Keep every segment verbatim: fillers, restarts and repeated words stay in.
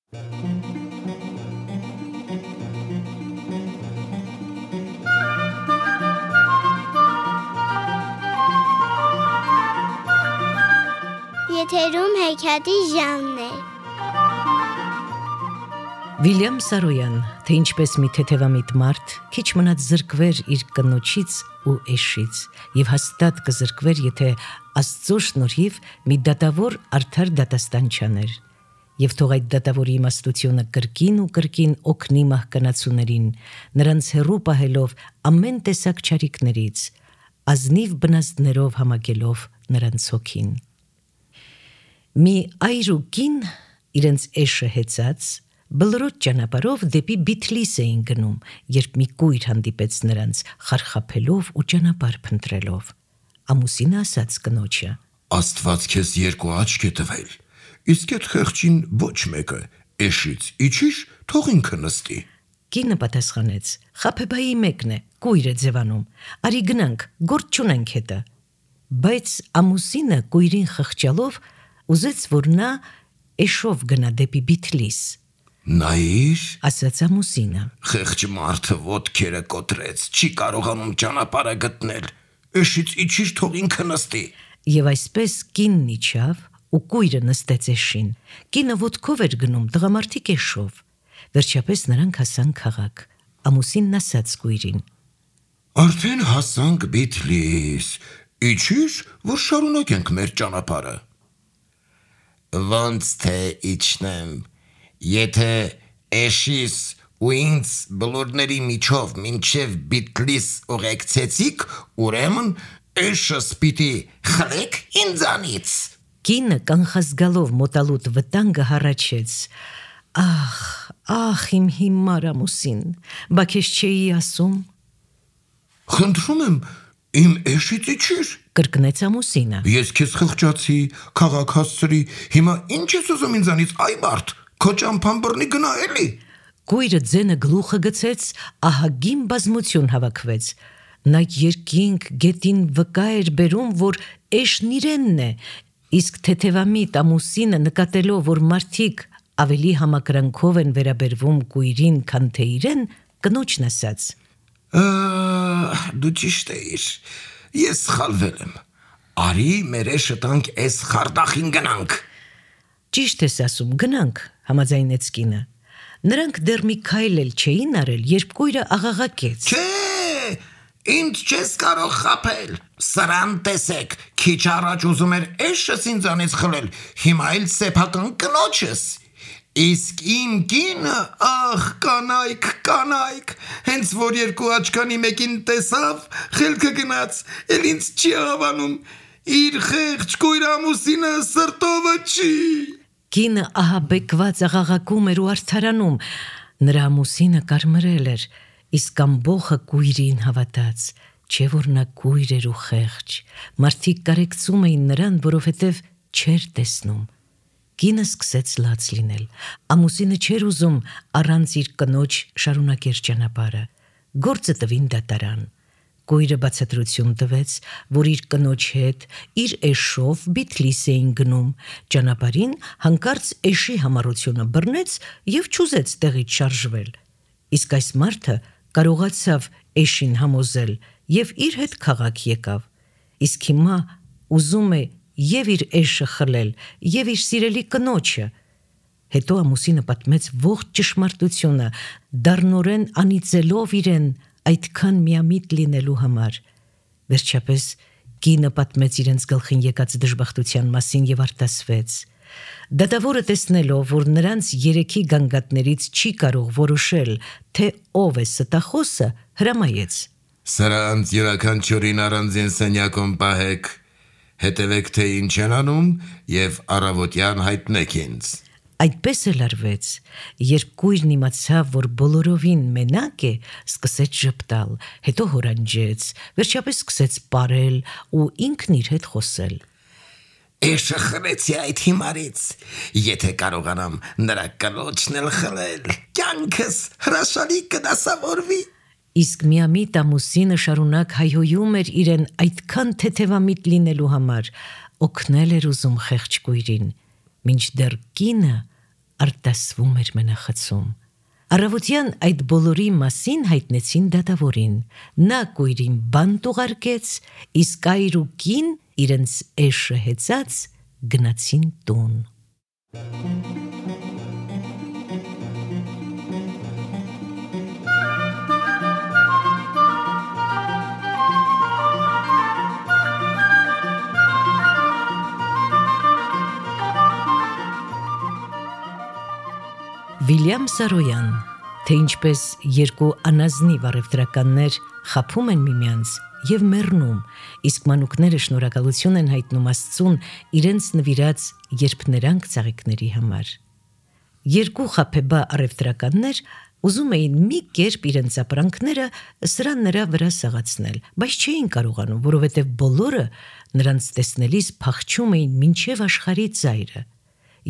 Եթերում հեքիաթի ժանրն է։ Վիլյամ Սարոյան, թե ինչպես մի թեթևամիտ մարդ քիչ մնաց զրկվեր իր կնոջից ու էշից եւ հաստատ կզրկվեր, եթե Աստծո շնորհիվ մի դատավոր արդար դատաստան չաներ։ Եվ թող այդ դատավորի իմաստությունը կրկին ու կրկին օգնի մահկանացուներին, նրանց հեռու պահելով ամեն տեսակ չարիքներից, ազնիվ բնազդներով համակելով նրանց հոգին։ Մի այր ու կին իրենց էշը հեծած բլրոտ ճանապարհով դեպի Բիթլիս էին գնում, երբ մի կույր հանդիպեց նրանց, խարխափելով ու ճանապարհ փնտրելով։ Ամուսինը ասաց կնոջը. Աստված քեզ երկու աչք է տվել, իսկ այդ խեղճին ոչ մեկը, էշից իջիր, թող ինքը նստի։ Կինը պատասխանեց. Խաբեբայի մեկն է, կույր է ձևանում, արի գնանք, գործ չունենք հետը։ Բայց ամուսինը կույրին խղճալով ուզեց, որ նա էշով գնա դեպի Բիթլիս։ Նայիր, ասաց ամուսինը, խեղճ մարդը ոտքերը կոտրեց, չի կարողանում ճանապարհը գտնել, էշից իջիր, թող ինքը նստի։ Եվ այսպես կինն իջավ ու կույրը նստեց էշին։ Կինը ոտքով էր գնում, տղամարդիկ էշով։ Վերջապես նրանք հասան քաղաք։ Ամուսինն ասաց կույրին. Արդեն հասանք Բիթլիս, իջիր, որ շարունակենք մեր ճանապարհը։ Ոնց թե իջնեմ, եթե էշիս ու ինձ բլուրների միջով մինչև Բիթլիս ուղեկցեցիք, ուրեմն էշս պիտի խլեք ինձանից։ Կինը կանխազգալով մոտալուտ վտանգը հառաչեց. Ախ, ախ իմ հիմար ամուսին, բա քեզ չէի ասում։ Խնդրում եմ, իմ էշից իջիր, կրկնեց ամուսինը։ Ես քեզ խղճացի, քաղաք հասցրի, հիմա ինչ ես ուզում ինձանից, այ մարդ, քո ճամփան բռնի գնա էլի։ Կույրը ձենը գլուխը գցեց, ահագին բազմություն հավաքվեց։ Նա երկինք գետին վկա էր բերում, որ էշն իրենն է, իսկ թեթևամիտ ամուսինը նկատելով, որ մարդիկ ավելի համակրանքով են վերաբերվում կույրին, քան թե իրեն, կնոջն ասաց. Դու ճիշտ էիր, ես սխալվել եմ, արի մեր էշը տանք էս խարդախին գնանք։ Ճիշտ ես ասում, գնանք, համաձայնեց կինը։ Նրանք դեռ մի քայլ էլ չէին արել, երբ կույրը աղաղակեց. Չէ, ինձ չես կարող խաբել, սրան տեսեք, քիչ առաջ ուզում էր էշս ինձանից խլել, հիմա էլ սեփական կնոջս։ Իսկ իմ կինը, ախ, կանայք, կանայք, հենց որ երկու աչքանի մեկին տեսավ, խելքը գնաց, էլ ինձ չի հավանում, իր խեղճ կույր ամուսինը սրտովը չի։ Կինը ահաբեկված աղաղակում էր ու արդարանում, նրա ամուսինը կարմրել էր, իսկ ամբողը կույրին հավատաց, չէ որ նա կույր էր ու խեղճ, մարդիկ կարեկցում էին նրան, որովհետև չէր տեսնում։ Կինը սկսեց լաց լինել, ամուսինը չէր ուզում առանց իր կնոջ շարունակեր ճանապարհը, գործը տվին դատարան։ Կույրը բացատրություն տվեց, որ իր կնոջ հետ, իր էշով Բիթլիս էին գնում, ճանապարհին հանկարծ էշի համառությունը բռնեց և չուզեց տեղից շարժվել, իսկ այս մարդը կարողացավ էշին համոզել և իր հետ քաղաք եկավ, իսկ հիմա ուզում է և իր էշը խլել, և իր սիրելի կնոջը։ Հետո ամուսինը պատմեց ողջ ճշմարտությունը, դառնորեն անիծելով իրեն այդքան միամիտ լինելու համար։ Վերջապես կինը պատմեց իրենց գլխին եկած դժբախտության մասին և արտասվեց։ Դատավորը տեսնելով, որ նրանց երեքի գանգատներից չի կարող որոշել, թե ով է ստախոսը, հրամայեց. Սրանց յուրաքանչյուրին առանձին սենյակում պահեք, հետևեք թե ինչ են անում և առավոտյան հայտնեք ինձ։ Այդպես էլ արվեց, երբ կույրն իմացավ, որ բոլորովին մենակ է, սկսեց ժպտալ, հետո հորանջեց, վերջապես սկսեց պարել ու ինքն իր հետ խոսել. Էշը խլեցի այդ հիմարից, եթե կարողանամ նրա կնոջն էլ խլել, կյանքս հրաշալի կդասավորվի։ Իսկ միամիտ ամուսինը շարունակ հայհոյում էր իրեն այդքան թեթևամիտ լինելու համար, օգնել էր ուզում խեղճ կույրին, մինչդեռ կինը արտասվում էր մենախցում։ Առավոտյան այդ բոլորի մասին հայտնեցին դատավորին։ Նա կույրին բանտ ուղարկեց, իսկ այր ու կին իրենց էշը հեծած գնացին տուն։ Վիլյամ Սարոյան, թե ինչպես երկու անազնիվ առևտրականներ խաբում են միմյանց և մեռնում, իսկ մանուկները շնորհակալություն են հայտնում Աստծուն իրենց նվիրած երբներանգ ծաղիկների համար։ Երկու խաբեբա առևտրականներ ուզում էին մի կերպ իրենց ապրանքները սրա նրա վրա սաղացնել, բայց չէին կարողանում, որովհետև բոլորը նրանց տեսնելիս փախչում էին մինչև աշխարհի ծայրը,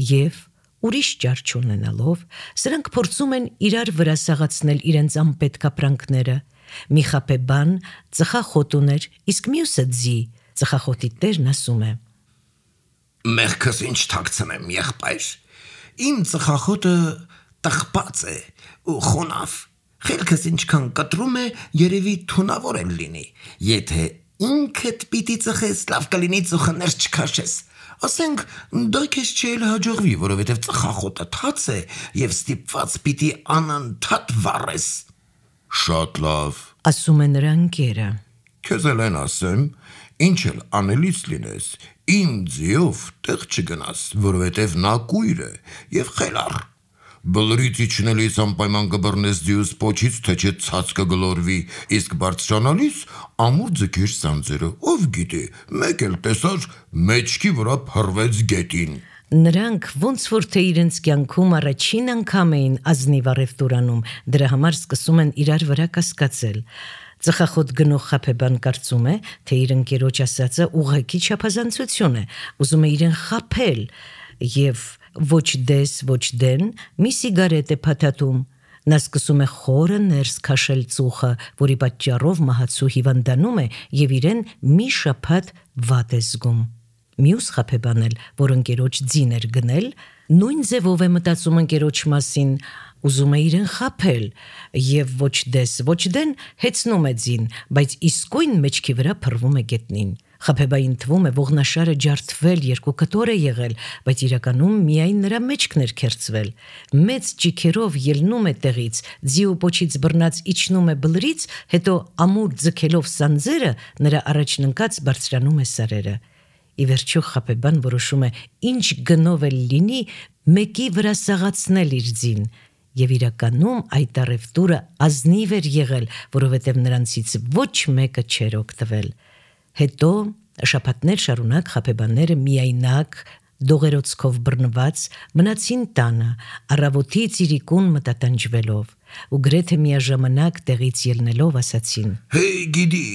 և ուրիշ ճար չունենալով, սրանք փորձում են իրար վրա սաղացնել իրենց անպետք ապրանքները։ Մի խաբեբան ծխախոտ ուներ, իսկ մյուսը ձի։ Ծխախոտի տերն ասում է. Մեղքս ինչ թաքցնեմ, եղբայր։ Իմ ծխախոտը տխպած է ու խոնավ։ Խելքս ինչքան կտրում է, երևի թունավոր էլ լինի։ Եթե ինքդ պիտի ծխես, լավ կլինի ծուխներ չքաշես։ Ասենք, դա քեզ չէլ հաջողվի, որովհետև ծխախոտը թաց է և ստիպված պիտի անընդհատ վառես։ Շատ լավ, ասում է նրա ընկերը։ Քեզ էլ են ասեմ, ինչ էլ անելից լինես, իմ ձիով տեղ չգնաս, որովհետև նա կույր է և խելառ։ Բլրից իջնելիս անպայման կբռնես ձիուս պոչից, թե չէ ցած կգլորվի, իսկ բարձրանալիս ամուր ձգիր սանձերը, ով գիտի, մեկ էլ տեսար մեջքի վրա փռվեց գետին։ Նրանք ոնց որ թե իրենց կյանքում առաջին անգամ էին ազնիվ առևտուր անում, դրա համար սկսում են իրար վրա կասկածել։ Ծխախոտ գնող խաբեբան կարծում է, թե իր ընկերոջ ասածը ուղղակի չափազանցություն է, ուզում է իրեն խաբել և ոչ դես, ոչ դեն մի սիգարետ է փաթաթում։ Նա սկսում է խորը ներս քաշել ծուխը, որի պատճառով մահացու հիվանդանում է և իրեն մի շաբաթ վատ է զգում։ Մյուս խաբեբան էլ, որ ընկերոջ ձին էր գնել, նույն ձևով է մտածում ընկերոջ մասին, ուզում է իրեն խաբել և ոչ դես, ոչ դեն հեծնում է ձին, բայց իսկույն մեջքի վրա փռվում է գետնին։ Խաբեբային թվում է ողնաշարը ջարդվել, երկու կտոր է եղել, բայց իրականում միայն նրա մեջքն էր քերծվել։ Մեծ ճիքերով ելնում է տեղից, ձի ու պոչից բռնած իջնում է բլրից, հետո ամուր ձգելով սանձերը նրա առաջն ընկած բարձրանում է սարերը։ Ի վերջո խաբեբան որոշում է ինչ գնով էլ լինի մեկի վրա սաղացնել իր ձին, և իրականում այդ առևտուրը ազնիվ էր եղել, որովհետև նրանցից ոչ մեկը չէր օգտվել։ Հետո շաբաթներ շարունակ խաբեբաները միայնակ, դողերոցքով բռնված մնացին տանը, առավոտից իրիկուն մտատանջվելով, ու գրեթե միաժամանակ տեղից ելնելով ասացին. Հեյ գիդի,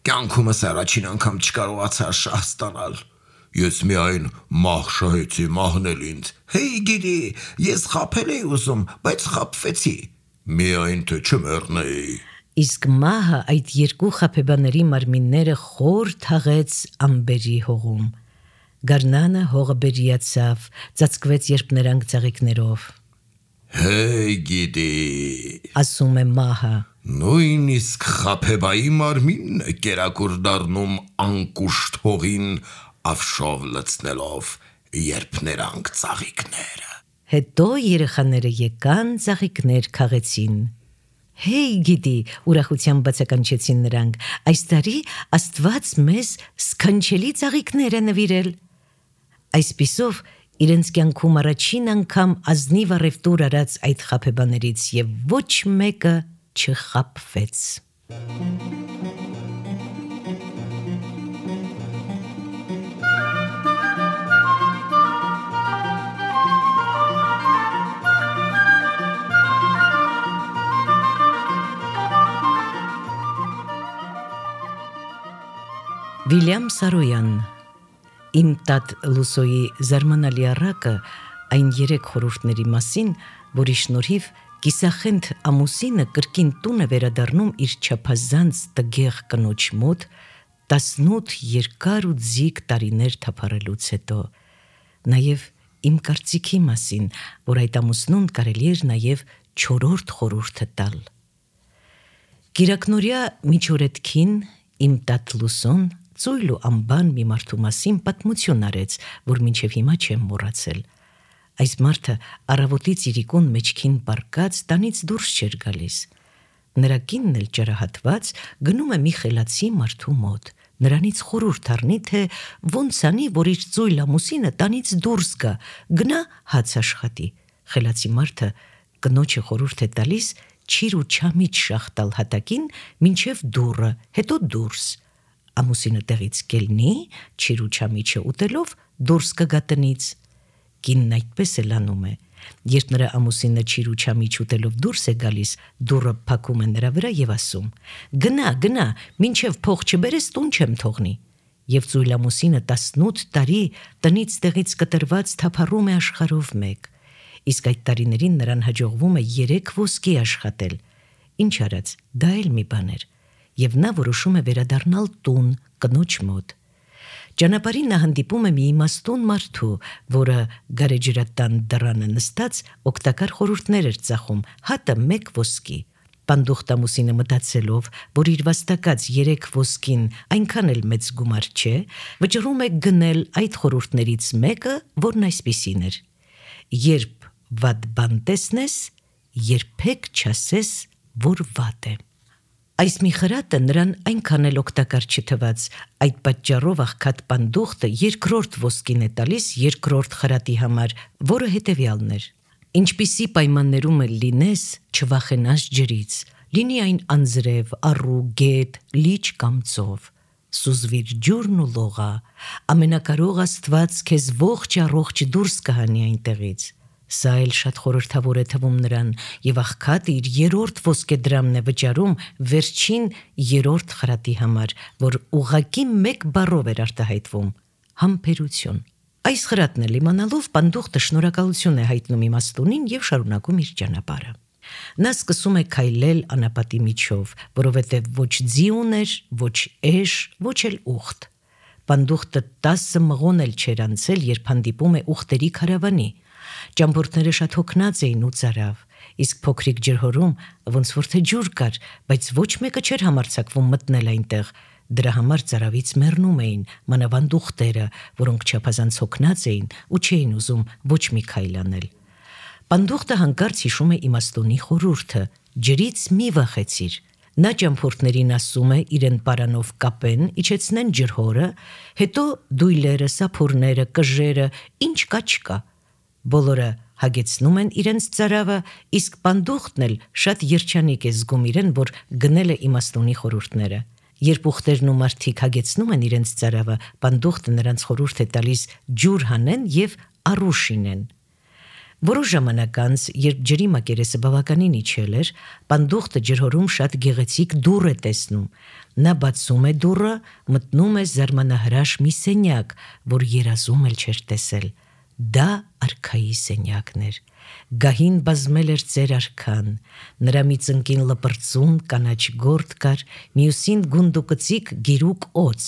կյանքումս առաջին անգամ չկարողացա շահ ստանալ։ Ես միայն մահ շահեցի, մահն էլ ինձ։ Հեյ գիդի, ես խաբել էի ուզում, բայց խաբվեցի։ Միայն թե չմեռնեի։ Իսկ մահը այդ երկու խաբեբաների մարմինները խոր թաղեց ամբերի հողում։ Գարնանը հողը բերիացավ, ծածկվեց երբներանգ ծաղիկներով։ Հեյ գիտի, ասում է մահը, նույնիսկ խաբեբայի մարմինն է կերակուր դառնում անկուշտ հողին ավշով լցնելով երբներանգ ծաղիկները։ Հետո երեխաները եկան ծաղիկներ քաղեցին։ Հեյ գիտի, ուրախությամբ բացականչեցին նրանք, այս տարի Աստված մեզ սքանչելի ծաղիկներ է նվիրել։ Այսպիսով իրենց կյանքում առաջին անգամ ազնիվ առևտուր արած այդ խաբեբաներից և ոչ մեկը չխաբվեց։ Վիլյամ Սարոյան, Իմ տատ Լուսոյի զարմանալի առակը այն երեք խորհուրդների մասին, որի շնորհիվ կիսախենթ ամուսինը կրկին տուն է վերադառնում իր չափազանց տգեղ կնոջ մոտ տասնութ երկար ու ձիգ տարիներ թափառելուց հետո, նաև իմ կարծիքի մասին, որ այդ ամուսնուն կարելի էր նաև չորրորդ խորհուրդը տալ։ Կիրակնորյա միջօրեթքին իմ տատ Լուսոն ծույլ ու ամբան մի մարդու մասին պատմություն արեց, որ մինչև հիմա չեմ մոռացել։ Այս մարդը առավոտից իրիկուն մեջքին պառկած տանից դուրս չէր գալիս։ Նրա կինն էլ ճարահատված գնում է մի խելացի մարդու մոտ, նրանից խորհուրդ առնի, թե ոնց անի, որ իր ծույլ ամուսինը տանից դուրս գա, գնա հաց աշխատի։ Խելացի մարդը կնոջը խորհուրդ է տալիս չիր ու չամիջ շախտալ հատակին մինչև դուռը, հետո դուրս։ Ամուսինը տեղից կելնի, չիր ու չամիջը ուտելով դուրս կգա տնից։ Կինն այդպես էլ անում է։ Երբ նրա ամուսինը չիր ու չամիջ ուտելով դուրս է գալիս, դուռը փակում է նրա վրա եւ ասում. «Գնա, գնա, մինչև փող չբերես տուն չեմ թողնի»։ Եվ ծույլ ամուսինը տասնութ տարի տնից տեղից կտրված թափառում է աշխարհով մեկ։ Իսկ այդ տարիներին նրան հաջողվում է երեք ոսկի աշխատել։ Ինչ արած, դա էլ մի բան էր։ Եվ նա որոշում է վերադառնալ տուն, կնոջ մոտ։ Ճանապարհին նա հանդիպում է մի իմաստուն մարդու, որը գարեջրատան դռանը նստած օգտակար խորհուրդներ էր ծախում, հատը մեկ ոսկի։ Պանդուխտ ամուսինը մտածելով, որ իր վաստակած երեք ոսկին այնքան էլ մեծ գումար չէ, վճռում է գնել այդ խորհուրդներից մեկը, որն այսպիսին էր. «Երբ վատ բան տեսնես, երբեք չասես, որ վատ է»։ Այս մի խրատը նրան այնքան էլ օգտակար չթվաց, այդ պատճառով աղքատ պանդուխտը երկրորդ ոսկին է տալիս երկրորդ խրատի համար, որը հետևյալն էր. «Ինչպիսի պայմաններում էլ լինես, չվախենաս ջրից, լինի այն անձրև, առու, գետ, լիճ կամ ծով, սուզվիր ջուրն ու լողա, ամենակարող Աստված քեզ ողջ առողջ դուրս կհանի այնտեղից»։ Սա էլ շատ խորհրդավոր է թվում նրան, եւ աղքատը իր երրորդ ոսկեդրամն է վճարում վերջին երրորդ խրատի համար, որ ուղղակի մեկ բառով էր արտահայտվում՝ համբերություն։ Այս խրատն էլ իմանալով պանդուխտը շնորհակալություն է հայտնում իմաստունին եւ շարունակում իր ճանապարհը։ Նա սկսում է քայլել անապատի միջով, որովհետեւ ոչ ձի ուներ, ոչ էշ, ոչ էլ ուխտ։ Պանդուխտը տասը մղոն էլ չէր անցել, երբ հանդիպում է ուխտերի քարավանի։ Ճամփորդները շատ հոգնած էին ու ծարավ, իսկ փոքրիկ ջրհորում ոնց որ թե ջուր կար, բայց ոչ մեկը չէր համարձակվում մտնել այնտեղ։ Դրա համար ծարավից մեռնում էին մանավանդ ուխտերը, որոնք չափազանց հոգնած էին ու չէին ուզում ոչ մի քայլ անել։ Պանդուխտը հանկարծ հիշում է իմաստունի խորհուրդը. ջրից մի վախեցիր։ Նա ճամփորդներին ասում է իրեն պարանով կապեն, իջեցնեն ջրհորը, հետո դույլերը, սափորները, կժերը, ինչ կա չկա։ Բոլորը հագեցնում են իրենց ծարավը, իսկ պանդուխտն էլ շատ երջանիկ է զգում իրեն, որ գնել է իմաստունի խորհուրդները։ Երբ ուխտերն ու մարդիկ հագեցնում են իրենց ծարավը, պանդուխտը նրանց խորհուրդ է տալիս ջուր հանեն եւ առուշ ինեն։ Որոշ ժամանակ անց, երբ ջրի մակերեսը բավականին իջել էր, պանդուխտը ջրհորում շատ գեղեցիկ դուռ է տեսնում։ Նա բացում է դուռը, մտնում է զարմանահրաշ մի սենյակ, որ երազում էլ չէր տեսել։ Դա արքայի սենյակն էր։ Գահին բազմել էր ծեր արքան, նրա մի ծնկին լպրծուն կանաչ գորդ կար, մյուսին գունդուկծիկ գիրուկ օծ։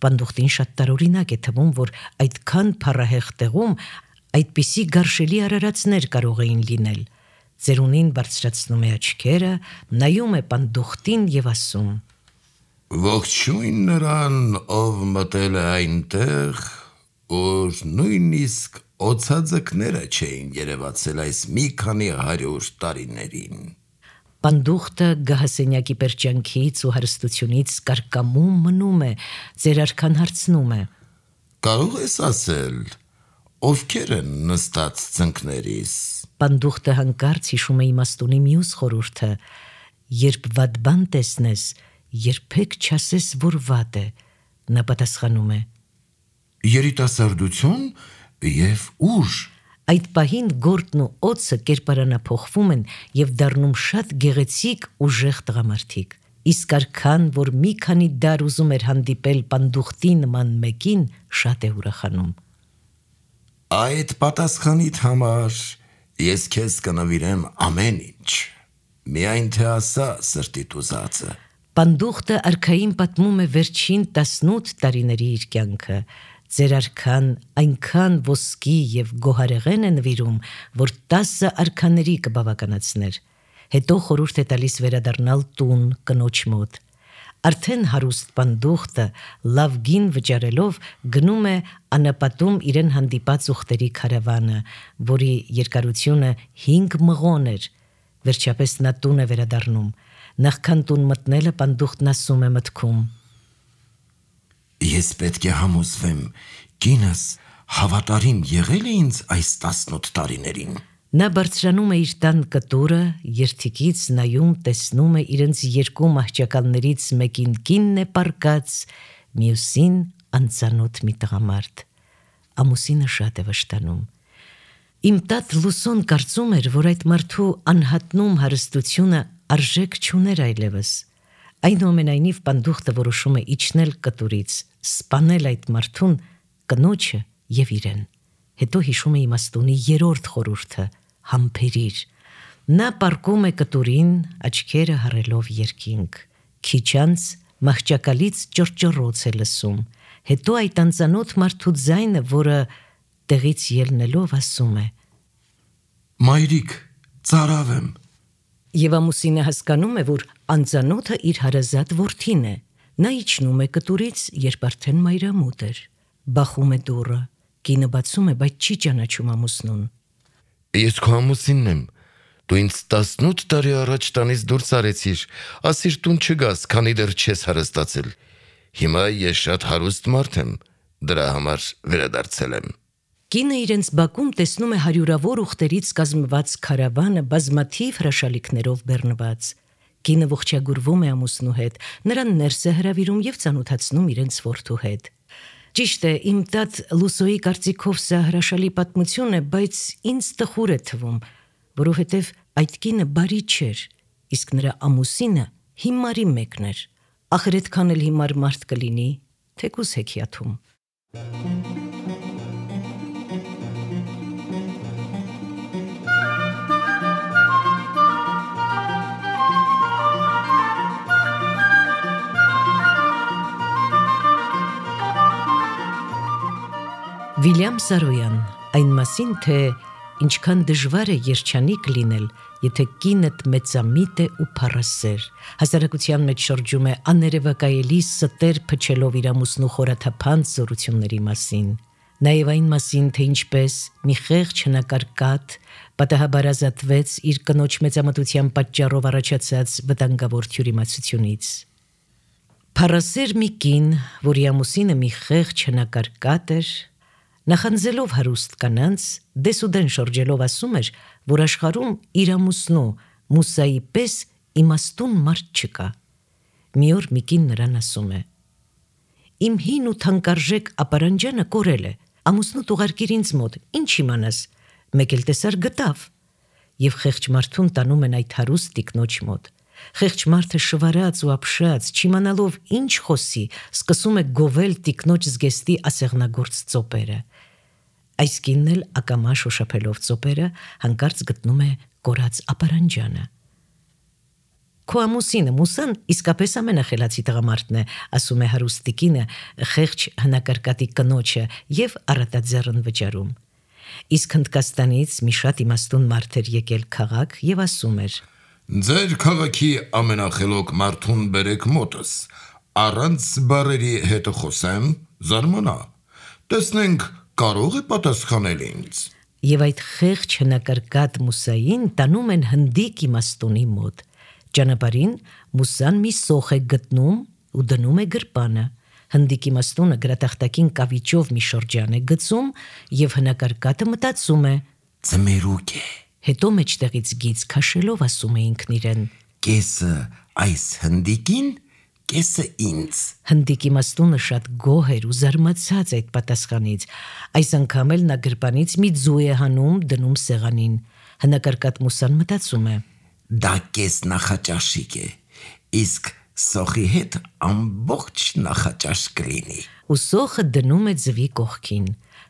Պանդուխտին շատ տարօրինակ է թվում, որ այդքան փառահեղ տեղում այդպիսի գարշելի արարածներ կարող էին լինել։ Ծերունին բարձրացնում է աչքերը, նայում է պանդուխտին եւ ասում. Ողջույն նրան, ով մտել է այնտեղ, որ նույնիսկ օծածկները չէին երևացել այս մի քանի հարյուր տարիներին։ Պանդուխտը գահասենյակի պերճանքից ու հարստությունից կարկամում մնում է, ծեր արքան հարցնում է. Կարող ես ասել, ովքեր են նստած ծնկներիս։ Պանդուխտը հանկարծ հիշում է իմաստունի մյուս խորհուրդը. երբ վատ բան տեսնես, երբեք չասես, որ վատ է։ Նա պատասխանում է. Երիտասարդություն եւ ուժ։ Այդ պահին գորտն ու օծը կերպարանափոխվում են եւ դառնում շատ գեղեցիկ ուժեղ տղամարդիկ։ Իսկ արքան, որ մի քանի դար ուզում էր հանդիպել պանդուխտի նման մեկին, շատ է ուրախանում։ Այդ պատասխանիդ համար ես քեզ կնվիրեմ ամեն ինչ։ Միայն թե ասա սրտիդ ուզածը։ Պանդուխտը արքային պատմում է վերջին տասնութ տարիների իր կյանքը։ Ձեր արքան այնքան ոսկի և գոհարեղեն է նվիրում, որ տասը արքաների կբավականացներ։ Հետո խորհուրդ է տալիս վերադառնալ տուն կնոջ մոտ։ Արդեն հարուստ պանդուխտը լավ գին վճարելով գնում է անապատում իրեն հանդիպած ուխտերի քարավանը, որի երկարությունը հինգ մղոն էր։ Վերջապես նա տուն է վերադառնում։ Նախքան տուն մտնելը պանդուխտն ասում է մտքում. Ես պետք է համոզվեմ, կինս հավատարիմ եղել է ինձ այս տասնութ տարիներին։ Նա բարձրանում է իր տան կտուրը, երթիկից նայում տեսնում է իրենց երկու մահճակալներից մեկին կինն է պառկած, մյուսին անծանոթ մի տղամարդ։ Ամուսինը շատ է վշտանում։ Իմ տատ Լուսոն կարծում էր, որ այդ մարդու անհատնում հարստությունը արժեք չուներ այլևս։ Այնուամենայնիվ պանդուխտը որոշում է իջնել կտուրից, սպանել այդ մարդուն, կնոջը և իրեն։ Հետո հիշում է իմաստունի երրորդ խորհուրդը՝ համբերիր։ Նա պառկում է կտուրին, աչքերը հառելով երկինք։ Քիչ անց մահճակալից ճռճռոց է լսում։ Հետո այդ անծանոթ մարդու ձայնը, որը տեղից ելնելով ասում է. Մայրիկ, ծարավ եմ։ Եվ ամուսինը հասկանում է, որ անծանոթը իր հարազատ որդին է։ Նա իջնում է կտուրից, երբ արդեն մայրամուտ էր։ Բախում է դուռը։ Կինը բացում է, բայց չի ճանաչում ամուսնուն։ Ես քո ամուսինն եմ։ Դու ինձ տասնութ տարի առաջ տանից դուրս արեցիր, ասիր տուն չգաս, քանի դեռ չես հարստացել։ Հիմա ես շատ հարուստ մարդ եմ, դրա համար վերադարձել եմ։ Կինը իրենց բակում տեսնում է հարյուրավոր ուխտերից կազմված քարավանը բազմաթիվ հրաշալիքներով բեռնված։ Կինը ողջագուրվում է ամուսնու հետ, նրան ներս է հրավիրում և ծանոթացնում իրենց որդու հետ։ Ճիշտ է, իմ տատ Լուսոյի կարծիքով սա հրաշալի պատմություն է, բայց ինձ տխուր է թվում, որովհետև այդ կինը բարի չէր, իսկ նրա ամուսինը հիմարի մեկն էր։ Ախր այդքան էլ հիմար մարդ կլինի, թեկուզ հեքիաթում։ Վիլյամ Սարոյան, այն մասին, թե ինչքան դժվար է երջանիկ լինել, եթե կինդ մեծամիտ է ու փառասեր, հասարակության մեջ շրջում է աներևակայելի ստեր փչելով իր ամուսնու խորաթափանց զորությունների մասին, նաև այն մասին, թե ինչպես մի խեղճ հնակարկատ պատահաբար ազատվեց իր կնոջ մեծամտության պատճառով առաջացած վտանգավոր թյուրիմացությունից։ Փառասեր մի կին, որի ամուսինը մի խեղճ հնակարկատ էր, նախանձելով հարուստ կանանց, դեսուդեն շրջելով ասում էր, որ աշխարհում իր ամուսնու Մուսայի պես իմաստուն մարդ չկա։ Մի օր մի կին նրան ասում է. Իմ հին ու թանկարժեք ապարանջանը կորել է, ամուսնուդ ուղարկիր ինձ մոտ, ինչ իմանաս, մեկ էլ տեսար գտավ։ Եվ խեղճ մարդուն տանում են այդ հարուստ տիկնոջ մոտ։ Խեղճ մարդը շվարած ու ապշած, չիմանալով ինչ խոսի, սկսում է գովել տիկնոջ զգեստի ասեղնագործ ծոպերը։ Այս կինն էլ ակամա շոշափելով ծոպերը հանկարծ գտնում է կորած ապարանջանը։ Քո ամուսինը Մուսան իսկապես ամենախելացի տղամարդն է, ասում է հարուստ տիկինը խեղճ հնակարկատի կնոջը և առատաձեռն վճարում։ Իսկ Հնդկաստանից մի շատ իմաստուն մարդ էր եկել քաղաք և ասում էր. Ձեր քաղաքի ամենախելոք մարդուն բերեք մոտս, առանց բարերի հետ խոսեմ, զարմանա, տեսնենք կարող է պատասխանել ինձ։ Եվ այդ խեղճ հնակարկատ Մուսային տանում են հնդիկ իմաստունի մոտ։ Ճանապարհին Մուսան մի սոխ է գտնում ու դնում է գրպանը։ Հնդիկ իմաստունը գրատախտակին կավիճով մի շրջան է գցում և հնակարկատը մտածում է. Ձմերուկ է։ Հետո մեջտեղից գիծ քաշելով ասում է ինքն իրեն. Կեսը այս հնդիկին, կեսը ինձ։ Հնդիկ իմաստունը շատ գոհ էր ու զարմացած այդ պատասխանից։ Այս անգամ էլ նա գրպանից մի ձու է հանում, դնում սեղանին։ Հնակարկատ Մուսան մտածում է. Դա կես նախաճաշիկ է, իսկ սոխի հետ ամբողջ նախաճաշ կլինի։ Ու սոխը դնում է ձվի կողքին։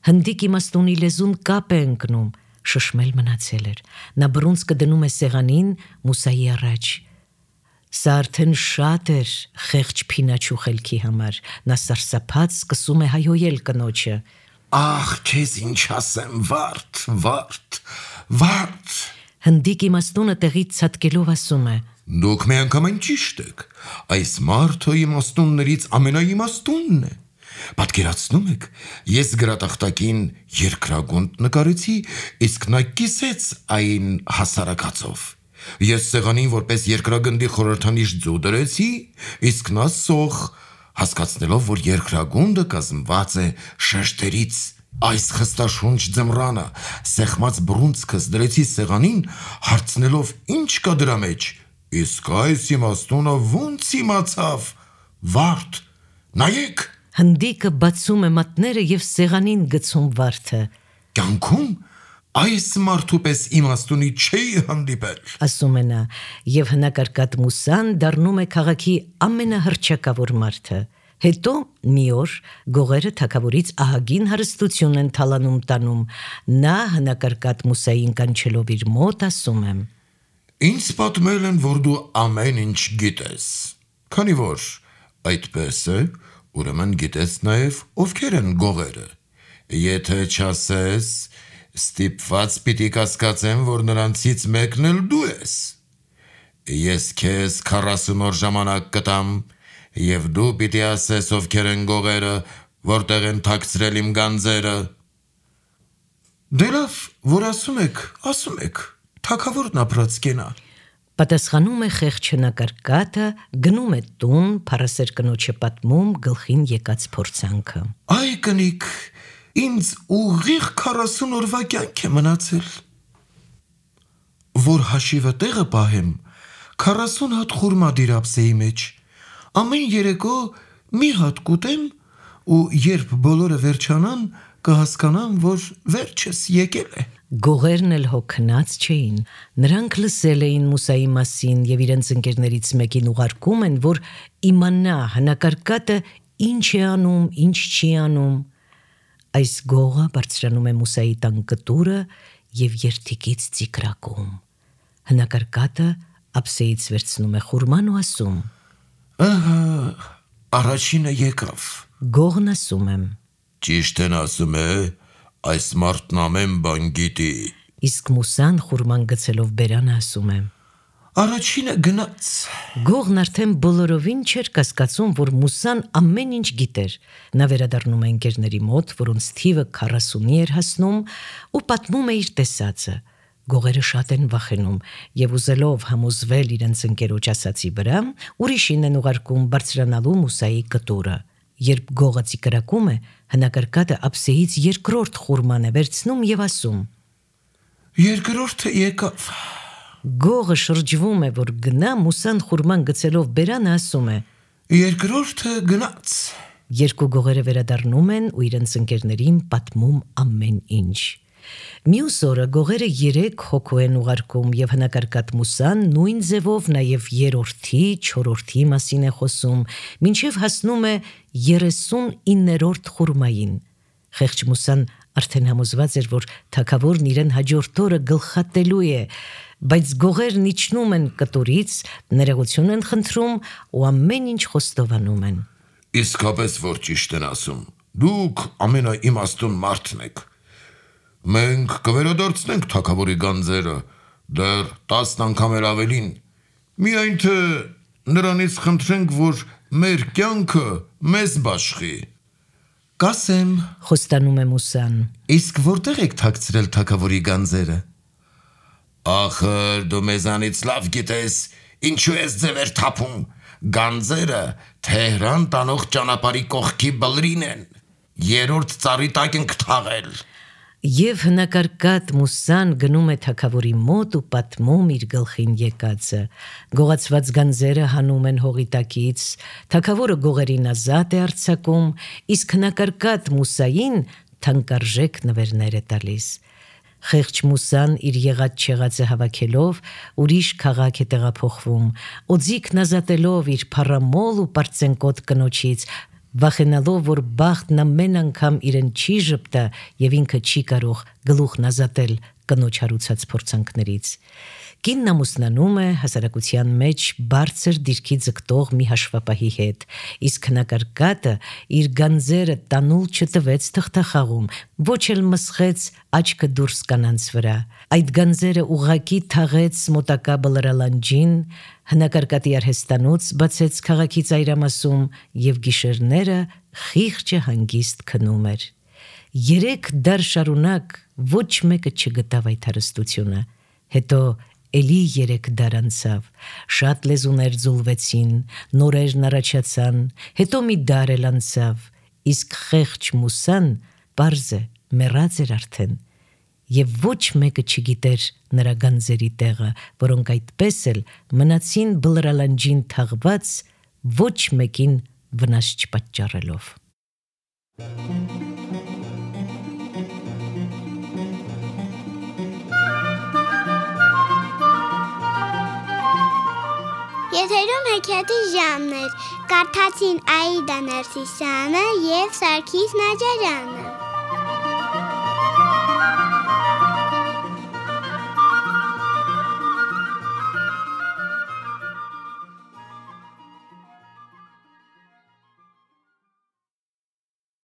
Հնդիկ իմաստունի լեզուն կապ է ընկնում, շշմել մնացել էր։ Նա բռունցքը դնում է սեղանին Մուսայի առաջ։ Սա արդեն շատ էր խեղճ Փինաչու խելքի համար, նա սարսափած սկսում է հայհոյել կնոջը. Ախ, քեզ ինչ ասեմ, վարդ, վարդ, վարդ։ Հնդիկ իմաստունը տեղից ցատկելով ասում է. Դուք միանգամայն ճիշտ եք, այս մարդը իմաստուններից ամենաիմաստունն է։ Պատկերացնում եք, ես գրատախտակին երկրագունդ նկարեցի, իսկ նա կիսեց այն հասարակացով։ Ես սեղանին որպես երկրագնդի խորհրդանիշ ձու դրեցի, իսկ նա սոխ, հասկացնելով, որ երկրագունդը կազմված է շեշտերից։ Այս խստաշունչ ձմռանը սեղմած բռունցքս դրեցի սեղանին, հարցնելով ինչ կա դրա մեջ, իսկ այս իմաստունը ոնց իմացավ, վարդ, նայեք։ Հնդիկը բացում է մատները և սեղանին գցում վարդը. Կյանքում այս մարդու պես իմաստունի չէի հանդիպել, ասում է նա, և հնակարկատ Մուսան դառնում է քաղաքի ամենահռչակավոր մարդը։ Հետո մի օր գողերը թագավորից ահագին հարստություն են թալանում տանում, նա հնակարկատ Մուսային կանչելով իր մոտ ասում է. Ինձ պատմել են, որ դու ամեն ինչ գիտես, քանի որ այդպես է, ուրեմն գիտես նաև ովքեր են գողերը, եթե չասես, ստիպված պիտի կասկածեմ, որ նրանցից մեկն էլ դու ես, ես քեզ քառասուն օր ժամանակ կտամ, և դու պիտի ասես ովքեր են գողերը, որտեղ են թաքցրել իմ գանձերը։ Դե լավ, որ ասում եք, ասում եք, թագավորն ապրած կենա։ Պատասխանում է խեղճ հնակարկատը, գնում է տուն, փառասեր կնոջը պատմում գլխին եկած փորձանքը. Այ կնիկ, ինձ ուղիղ քառասուն օրվա կյանք է մնացել, որ հաշիվը տեղը պահեմ, քառասուն հատ խուրմա դիր ափսեի մեջ, ամեն երեկո մի հատ կուտեմ ու երբ բոլորը վերջանան, կհասկանամ, որ վերջս եկել է։ Գողերն էլ հոգնած չէին, նրանք լսել էին Մուսայի մասին և իրենց ընկերներից մեկին ուղարկում են, որ իմանա հնակարկատը ինչ է անում, ինչ չի անում։ Այս գողը բարձրանում է Մուսայի տան կտուրը և երդիկից ծիկրակում։ Հնակարկատը ափսեից վերցնում է խուրման ու ասում. Ահա, առաջինը եկավ։ Գողն ասում է. Ճիշտ են ասում է, այս մարդն ամեն բան գիտի։ Իսկ Մուսան խուրման գցելով բերանը ասում է. Առաջինը գնաց։ Գողն արդեն բոլորովին չէր կասկածում, որ Մուսան ամեն ինչ գիտեր։ Նա վերադառնում է ընկերների մոտ, որոնց թիվը քառասունի էր հասնում, ու պատմում է իր տեսածը։ Գողերը շատ են վախենում և ուզելով համոզվել իրենց ընկերոջ ասածի վրա, ուրիշին են ուղարկում բարձրանալու Մուսայի կտուրը։ Երբ գողը ծիկրակում է, հնակարկատը ափսեից երկրորդ խուրման է վերցնում և ասում. Երկրորդը եկավ։ Գողը շրջվում է, որ գնա, Մուսան խուրման գցելով բերանը ասում է. Երկրորդը գնաց։ Երկու գողերը վերադառնում են ու իրենց ընկերներին պատմում ամեն ինչ։ Մյուս օրը գողերը երեք հոգու են ուղարկում և հնակարկատ Մուսան նույն ձևով նաև երրորդի, չորրորդի մասին է խոսում, մինչև հասնում է երեսունիններորդ խուրմային։ Խեղճ Մուսան արդեն համոզված էր, որ թագավորն իրեն հաջորդ օրը գլխատելու է, բայց գողերն իջնում են կտուրից, ներողություն են խնդրում ու ամեն ինչ խոստովանում են։ Իսկապես որ ճիշտ են ասում, դուք ամենաիմաստուն մարդն եք։ Մենք կվերադարձնենք թագավորի գանձերը, դեռ տասն անգամ էլ ավելին, միայն թե նրանից խնդրենք, որ մեր կյանքը մեզ բաշխի։ Կասեմ, Խոստանում է Մուսան. իսկ որտեղ եք թաքցրել թագավորի գանձերը։ Ախր դու մեզանից լավ գիտես, ինչու ես ձևեր թափում, գանձերը Թեհրան տանող ճանապարհի կողքի բլրին են, երրորդ ծառի տակ ենք թաղել։ Եվ հնակարկատ Մուսան գնում է թագավորի մոտ ու պատմում իր գլխին եկածը։ Գողացված գանձերը հանում են հողի տակից, թագավորը գողերին ազատ է արձակում, իսկ հնակարկատ Մուսային թանկարժեք նվերներ է տալիս։ Խեղճ Մուսան իր եղած-չեղածը հավաքելով ուրիշ քաղաք է տեղափոխվում, օձիքն ազատելով իր փառամոլ ու պարծենկոտ կնոջից, վախենալով, որ բախտն ամեն անգամ իրեն չի ժպտա և ինքը չի կարող գլուխն ազատել կնոջ հարուցած փորձանքներից։ Կինն ամուսնանում է հասարակության մեջ բարձր դիրքի ձգտող մի հաշվապահի հետ, իսկ հնակարկատը իր գանձերը տանուլ չտվեց թղթախաղում, ոչ էլ մսխեց աչքը դուրս կանանց վրա։ Այդ գանձերը ուղղակի թաղեց մոտակա բլրալանջին, հնակարկատի արհեստանոց բացեց քաղաքի ծայրամասում և գիշերները խիղճը հանգիստ քնում էր։ Երեք դար շարունակ ոչ մեկը չգտավ այդ հարստությունը, հետո էլի երեք դար անցավ, շատ լեզուներ ձուլվեցին, նորերն առաջացան, հետո մի դար էլ անցավ, իսկ խեղճ Մուսան պարզ է մեռած էր արդեն, և ոչ մեկը չգիտեր նրա գանձերի տեղը, որոնք այդպես էլ մնացին բլրալանջին թաղված, ոչ մեկին վնաս չպատճառելով։ Եթերում հեքիաթի ժամն էր, կարդացին Աիդա Ներսիսյանը և Սարգիս Նաջարյանը։